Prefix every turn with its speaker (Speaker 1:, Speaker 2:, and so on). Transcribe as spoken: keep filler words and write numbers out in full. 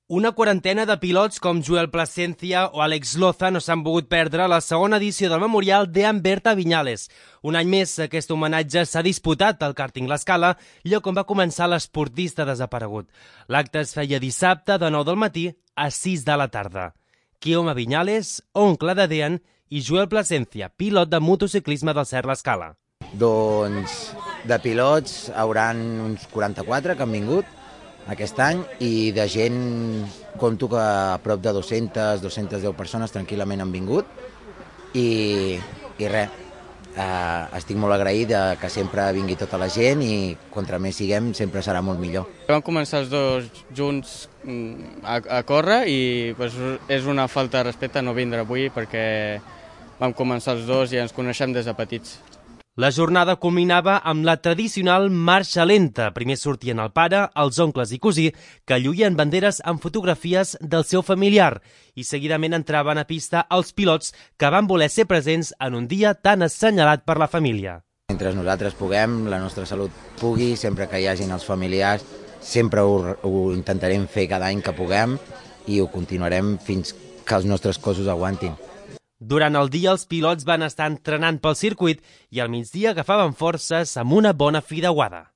Speaker 1: Una quarantena de pilots com Joel Placencia o Àlex Loza no s'han pogut perdre la segona edició del Memorial de Amberta Viñales. Un any més, aquest homenatge s'ha disputat al càrting L'Escala, lloc on va començar l'esportista desaparegut. L'acte es feia dissabte de nou del matí a sis de la tarda. Guillaume Viñales, oncle de Dean, i Joel Placencia, pilot de motociclisme del Cert L'Escala.
Speaker 2: Doncs de pilots hauran uns quaranta-quatre que han vingut aquest any i de gent, compto que a prop de dues-centes, dues-centes deu persones tranquil·lament han vingut i, i res, eh, estic molt agraït de que sempre vingui tota la gent i contra més siguem sempre serà molt millor.
Speaker 3: Vam començar els dos junts a, a córrer i pues, és una falta de respecte no vindre avui perquè vam començar els dos i ens coneixem des de petits.
Speaker 1: La jornada culminava amb la tradicional marxa lenta. Primer sortien el pare, els oncles i cosí, que lluïen banderes amb fotografies del seu familiar i seguidament entraven a pista els pilots que van voler ser presents en un dia tan assenyalat per la família.
Speaker 2: Mentre nosaltres puguem, la nostra salut pugui, sempre que hi hagin els familiars, sempre ho, ho intentarem fer cada any que puguem i ho continuarem fins que els nostres cossos aguantin.
Speaker 1: Durant el dia els pilots van estar entrenant pel circuit i al migdia agafaven forces amb una bona fideuada.